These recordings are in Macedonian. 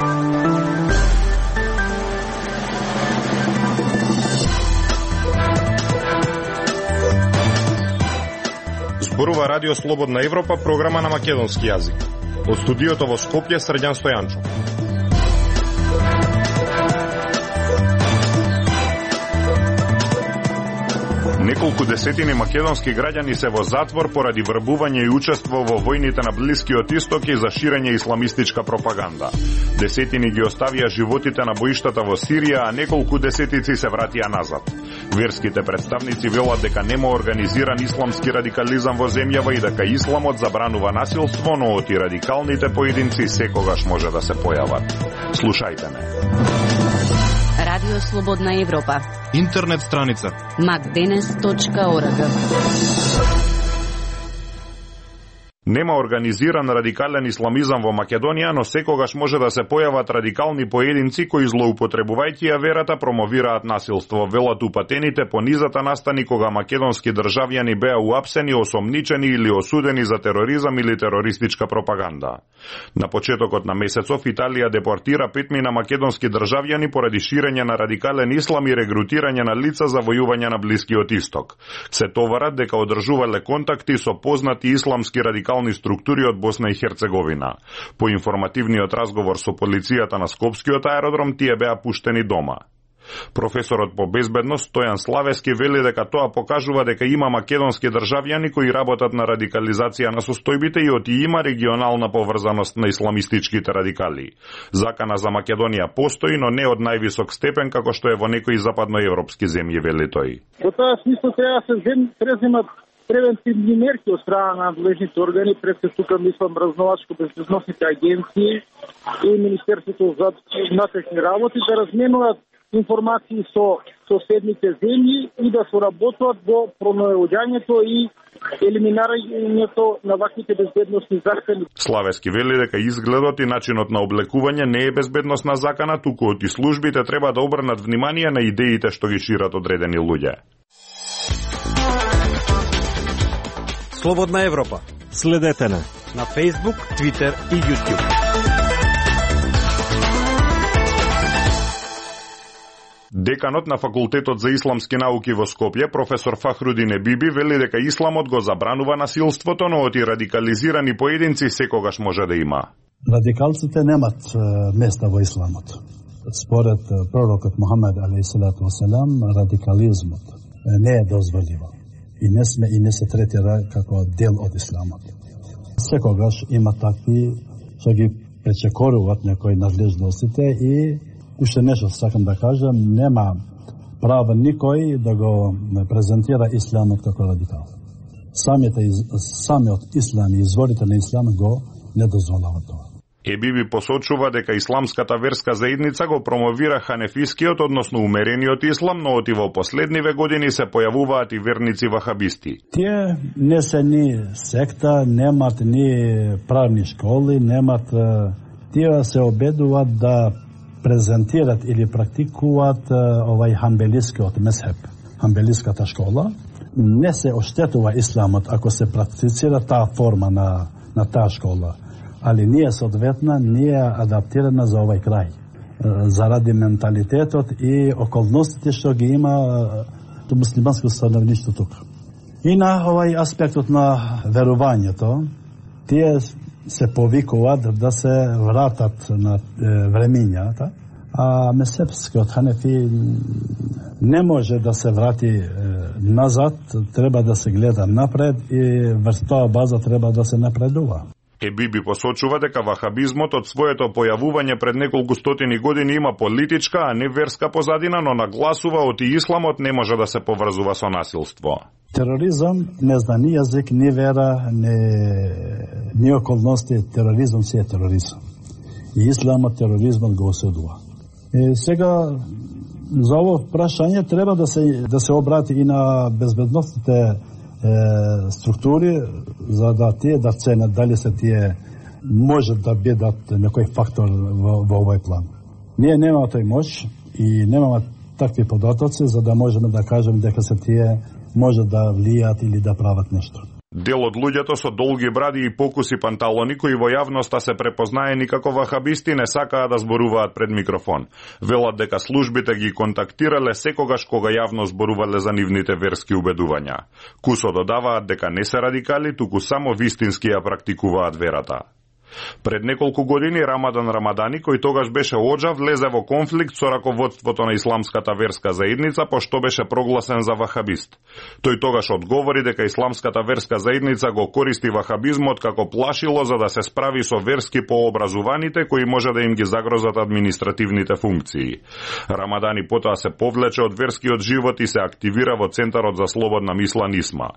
Зборува Радио Слободна Европа, програма на македонски јазик. Од студиото во Скопје, Срđan Стојанчов. Неколку десетини македонски граѓани се во затвор поради врбување и учество во војните на Блискиот Исток и за ширење исламистичка пропаганда. Десетини ги оставија животите на боиштата во Сирија, а неколку десетици се вратија назад. Верските представници велат дека нема организиран исламски радикализам во земјава и дека исламот забранува насилство, но оти радикалните поединци секогаш може да се појават. Слушајте ме. Радио Слободна Европа. Интернет страница macdenes.org. Нема организиран радикален исламизам во Македонија, но секогаш може да се појават радикални поединци кои злоупотребувајќи ја верата промовираат насилство. Велат упатените по низата настани кога македонски државјани беа уапсени, осомничени или осудени за тероризам или терористичка пропаганда. На почетокот на месецов Италија депортира 5 македонски државјани поради ширење на радикален ислам и регрутирање на лица за војување на Блискиот Исток. Се товарат дека одржувале контакти со познати исламски радикални структури од Босна и Херцеговина. По информативниот разговор со полицијата на Скопскиот аеродром, тие беа пуштени дома. Професорот по безбедност Стојан Славески вели дека тоа покажува дека има македонски државјани кои работат на радикализација на состојбите и оти има регионална поврзаност на исламистичките радикали. Закана за Македонија постои, но не од највисок степен како што е во некои западноевропски земји, вели тој. Во тоа смисло треба да се преземат превентивни мерки од страна на надлежните органи, пред се тука мислам разновачко-безбедносните агенции и Министерството за внатрешни работи да разменуваат информации со соседните земји и да соработуваат во пронаоѓањето и елиминирањето на ваквите безбедносни закани. Славески вели дека изгледот и начинот на облекување не е безбедносна закана, туку оти службите треба да обрнат внимание на идеите што ги шират одредени луѓе. Слободна Европа. Следете на Facebook, Twitter и YouTube. Деканот на Факултетот за исламски науки во Скопје, професор Фахрудин Ебиби, вели дека исламот го забранува насилството, но оти радикализирани поединци секогаш може да има. Радикалците немат места во исламот. Според пророкот Мухамед алейхиссалату васелам, радикализмот не е дозволиво. И не се третира како дел од исламот. Секогаш има такви што ги пречекоруваат некои надлежностите и уште нешто сакам да кажам, нема право никој да го презентира исламот како радикал. Самиот ислам и изворите на исламот го не дозволува тоа. Ебиби посочува дека исламската верска заедница го промовира ханефискиот, односно умерениот ислам, но оти во последниве години се појавуваат и верници вахабисти. Тие не се ни секта, немат ни правни школи, немат... Тие се обедуваат да презентират или практикуваат овај ханбелискиот мезхеб, ханбелиската школа. Не се оштетува исламот ако се практицира таа форма на таа школа. Ali nije soodvetna, nije adaptirana za ovaj kraj. Zaradi mentalitetot i okolnostите што ги има муслиманско становништво тука. И на овај аспектот на верувањето, тие се повикуваат да се вратат на времињата, а мезхебскиот ханефи не може да се врати назад, треба да се гледа напред и врз тоа база треба да се напредува. Ебиби посочува дека вахабизмот од своето појавување пред неколку стотини години има политичка, а не верска позадина, но нагласува оти исламот не може да се поврзува со насилство. Тероризам не зна ни јазик, ни вера, ни околности. Тероризам си е тероризам. И исламот тероризмот го осудува. И сега за ово прашање треба да се обрати и на безбедностните структури, за да тие да ценат дали се тие може да бидат некој фактор во овој план. Ние немаме тој моќ и немаме такви податоци за да можеме да кажеме дека се тие може да влијаат или да прават нешто. Дел од луѓето со долги бради и покуси панталони кои во јавноста се препознаени како вахабисти не сакаат да зборуваат пред микрофон. Велат дека службите ги контактирале секогаш кога јавно зборувале за нивните верски убедувања. Кусо додаваат дека не се радикали, туку само вистински ја практикуваат верата. Пред неколку години Рамадан Рамадани, кој тогаш беше оџа, влезе во конфликт со раководството на исламската верска заедница, пошто беше прогласен за вахабист. Тој тогаш одговори дека исламската верска заедница го користи вахабизмот како плашило за да се справи со верски пообразуваните кои може да им ги загрозат административните функции. Рамадани потоа се повлече од верскиот живот и се активира во Центарот за слободна мисла НИСМА.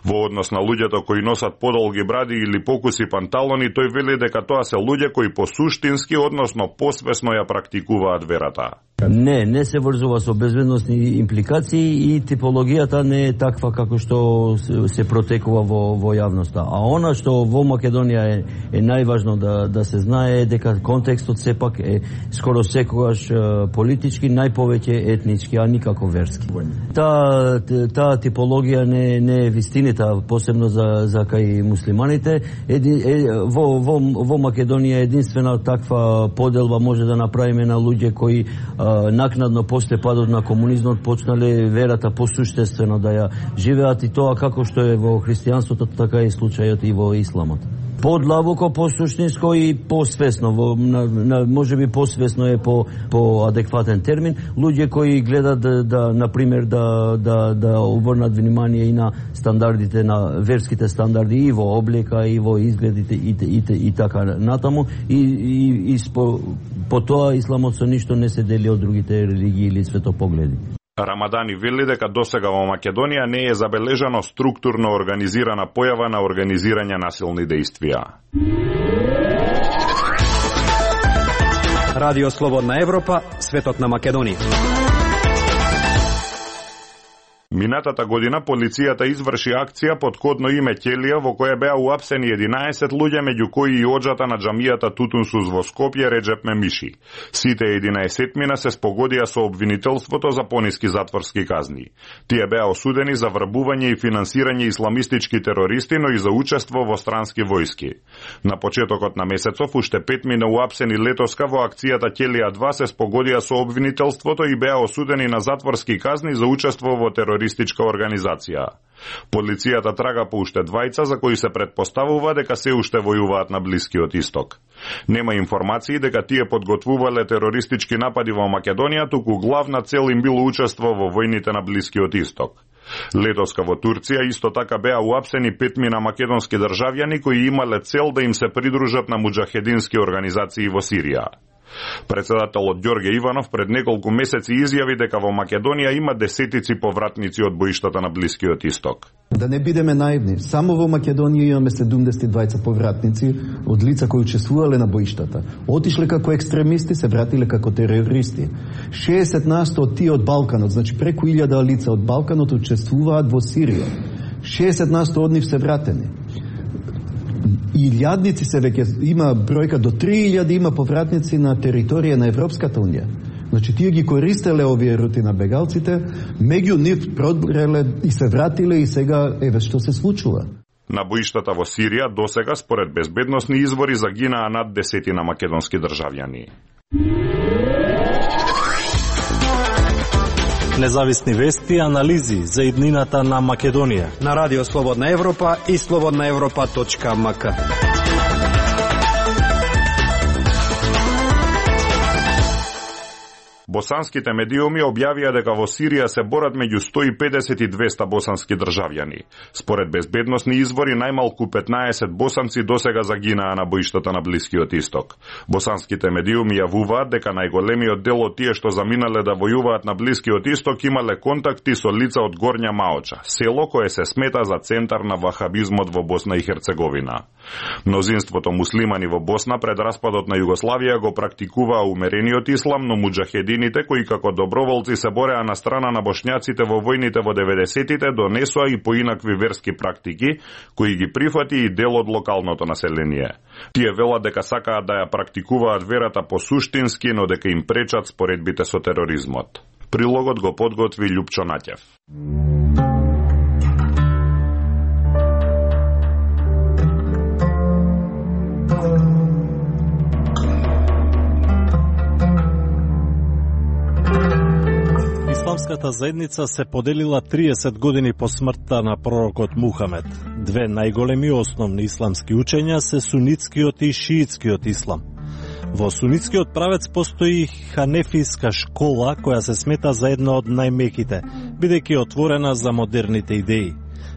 Во однос на луѓето кои носат подолги бради или покуси панталони, тој вели дека тоа се луѓе кои посуштински, односно посвесно ја практикуваат верата. Не се врзува со безбедносни импликации и типологијата не е таква како што се протекува во јавноста. А она што во Македонија е најважно да се знае е дека контекстот сепак е скоро секогаш политички, најповеќе етнички, а никако верски. Таа типологија не е вистината, посебно за кај муслиманите. Во Македонија единствена таква поделба може да направиме на луѓе кои накнадно после падот на комунизмот почнале верата посуштествено да ја живеат, и тоа како што е во христијанството, така е случајот и во исламот. Подлабоко, посуштинско и посвесно, можеби посвесно е по адекватен термин, луѓе кои гледат да например да обрнат внимание и на стандардите, на верските стандарди и во облека и во изгледите и така натаму, и по тоа исламот со ништо не се дели од другите религии или светопогледи. Рамадани вели дека досега во Македонија не е забележано структурно организирана појава на организирање насилни дејствија. Радио Слободна Европа, светот на Македонија. Минатата година полицијата изврши акција под кодно име Ќелија, во која беа уапсени 11 луѓе, меѓу кои и оџата на џамијата Тутунсус во Скопје Реджеп Мемиши. Сите 11 се спогодија со обвинителството за пониски затворски казни. Тие беа осудени за врбување и финансирање исламистички терористи, но и за учество во странски војски. На почетокот на месецов уште 5 уапсени летоска во акцијата Ќелија 2 се спогодија со обвинителството и беа осудени на затворски казни за учество во терористичка организација. Полицијата трага по уште двајца за кои се претпоставува дека се уште војуваат на Блискиот Исток. Нема информации дека тие подготвувале терористички напади во Македонија, туку главна цел им било учество во војните на Блискиот Исток. Летоска во Турција исто така беа уапсени 5 македонски државјани кои имале цел да им се придружат на муџахедински организации во Сирија. Председателот Ѓорѓе Иванов пред неколку месеци изјави дека во Македонија има десетици повратници од боиштата на Блискиот Исток. Да не бидеме наивни, само во Македонија имаме 72 повратници од лица кои учествувале на боиштата. Отишле како екстремисти, се вратиле како терористи. 60% од тие од Балканот, значи преку 1000 лица од Балканот учествуваат во Сирија. 60% од нив се вратени. Илјадници се веќе има бројка до 3000 има повратници на територија на Европската унија. Значи тие ги користеле овие рути на бегалците, меѓу нив продреле и се вратиле и сега еве што се случува. На боиштата во Сирија досега според безбедносни извори загинаа над 10 македонски државјани. Независни вести и анализи за иднината на Македонија на Радио Слободна Европа и slobodnaevropa.mk. Босанските медиуми објавија дека во Сирија се борат меѓу 150 и 200 босански државјани. Според безбедносни извори, најмалку 15 босанци досега загинаа на боиштата на Блискиот Исток. Босанските медиуми јавуваат дека најголемиот дел од тие што заминале да војуваат на Блискиот Исток имале контакти со лица од Горња Маоча, село кое се смета за центар на вахабизмот во Босна и Херцеговина. Мнозинството муслимани во Босна пред распадот на Југославија го практикуваа умерениот ислам, но муџахедините кои како доброволци се бореа на страна на бошњаците во војните во 90-тите донесоа и поинакви верски практики, кои ги прифати и дел од локалното население. Тие велат дека сакаат да ја практикуваат верата посуштински, но дека им пречат споредбите со тероризмот. Прилогот го подготви Љупчо Наќев. Исламската заедница се поделила 30 години по смртта на пророкот Мухамед. Две најголеми основни исламски учења се сунитскиот и шиитскиот ислам. Во сунитскиот правец постои ханефиска школа која се смета за една од најмеките, бидејќи отворена за модерните идеи.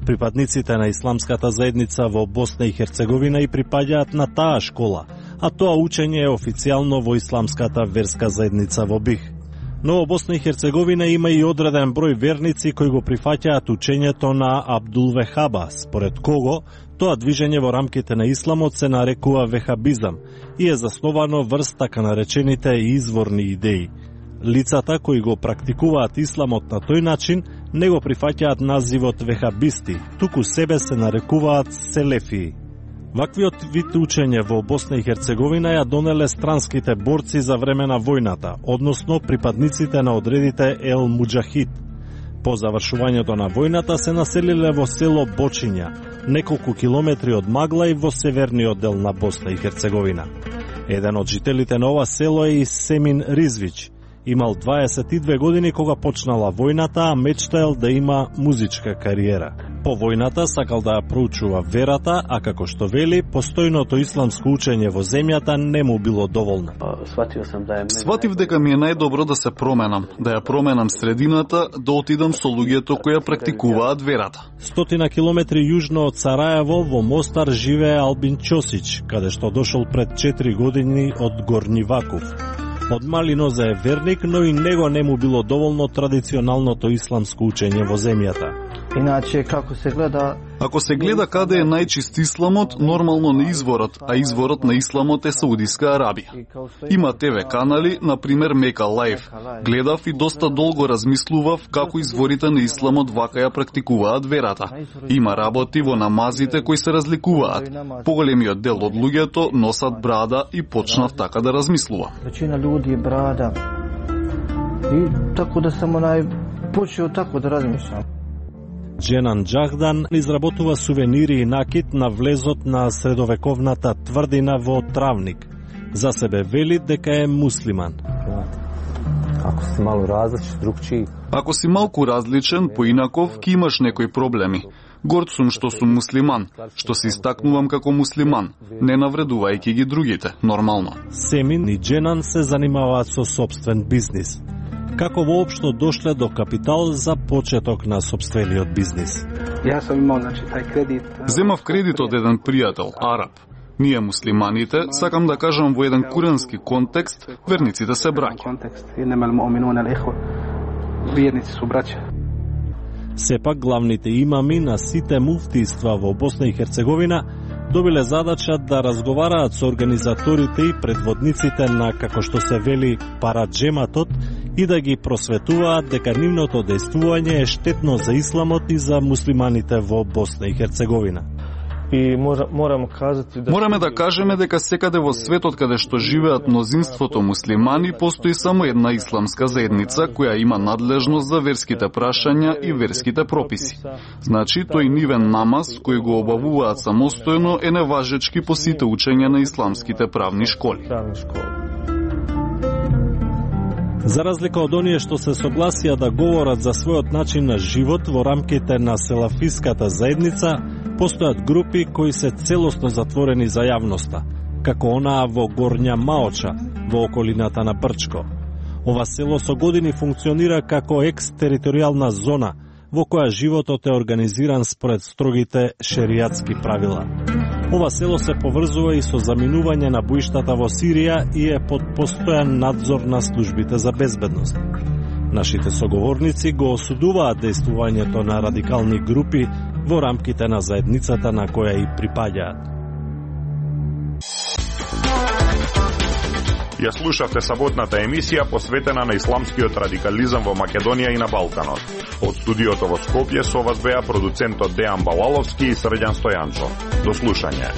Припадниците на исламската заедница во Босна и Херцеговина и припаѓаат на таа школа, а тоа учење е официјално во исламската верска заедница во Бих. Но во Босна и Херцеговина има и одреден број верници кои го прифаќаат учењето на Абдул Вехаба, според кого тоа движење во рамките на исламот се нарекува вехабизам и е засновано врз така наречените изворни идеи. Лицата кои го практикуваат исламот на тој начин не го прифаќаат називот вехабисти, туку себе се нарекуваат селефии. Ваквиот вид учење во Босна и Херцеговина ја донеле странските борци за време на војната, односно припадниците на одредите Ел Муджахид. По завршувањето на војната се населиле во село Бочиња, неколку километри од Магла и во северниот дел на Босна и Херцеговина. Еден од жителите на ова село е и Семин Ризвич. Имал 22 години кога почнала војната, а мечтаел да има музичка кариера. По војната сакал да ја проучува верата, а како што вели, постојното исламско учење во земјата не му било доволно. Сватив дека ми е најдобро да се променам, да ја променам средината, да отидам со луѓето кои ја практикуваат верата. 100 километри јужно од Сараево во Мостар живее Албин Чосич, каде што дошол пред 4 години од Горни Вакув. Од мали нозе е верник, но и него не му било доволно традиционалното исламско учење во земјата. Иначе, како се гледа... Ако се гледа каде е најчист исламот, нормално не изворот, а изворот на исламот е Саудиска Арабија. Има ТВ канали, например Мека Лайф. Гледав и доста долго размислував како изворите на исламот вака ја практикуваат верата. Има работи во намазите кои се разликуваат. Поголемиот дел од луѓето носат брада и почнав така да размислувам. Веćina ljudi brada. И тако да само почео тако да размислам. Дженан Джахдан изработува сувенири и накит на влезот на средовековната тврдина во Травник. За себе вели дека е муслиман. Ако си малку различен, поинаков, ки имаш некои проблеми. Горд сум што сум муслиман, што се истакнувам како муслиман, не навредувајќи ги другите, нормално. Семин и Дженан се занимаваат со собствен бизнис. Како воопшто дошле до капитал за почеток на собствениот бизнис? Ја сам имал, тај кредит. Земав кредит од еден пријател, араб. Ние муслиманите, сакам да кажам во еден курански контекст, верниците се браќа. Верници се браќа. Сепак главните имами на сите муфтиства во Босна и Херцеговина добиле задача да разговараат со организаторите и предводниците на, како што се вели, параджематот и да ги просветуваат дека нивното дејствување е штетно за исламот и за муслиманите во Босна и Херцеговина. И Мораме да кажеме дека секаде во светот каде што живеат мнозинството муслимани постои само една исламска заедница која има надлежност за верските прашања и верските прописи. Значи, тој нивен намаз кој го обавуваат самостојно е неважечки по сите учења на исламските правни школи. За разлика од оние што се согласија да говорат за својот начин на живот во рамките на селафиската заедница, постојат групи кои се целосно затворени за јавноста, како онаа во Горња Маоча, во околината на Брчко. Ова село со години функционира како екстериторијална зона, во која животот е организиран според строгите шеријатски правила. Ова село се поврзува и со заминување на боиштата во Сирија и е под постојан надзор на службите за безбедност. Нашите соговорници го осудуваат дејствувањето на радикални групи во рамките на заедницата на која и припаѓаат. Ја слушавте саботната емисија посветена на исламскиот радикализам во Македонија и на Балканот. Од студиото во Скопје со вас беа продуцентот Дејан Балаловски и Срđan Стојанчо. До слушање.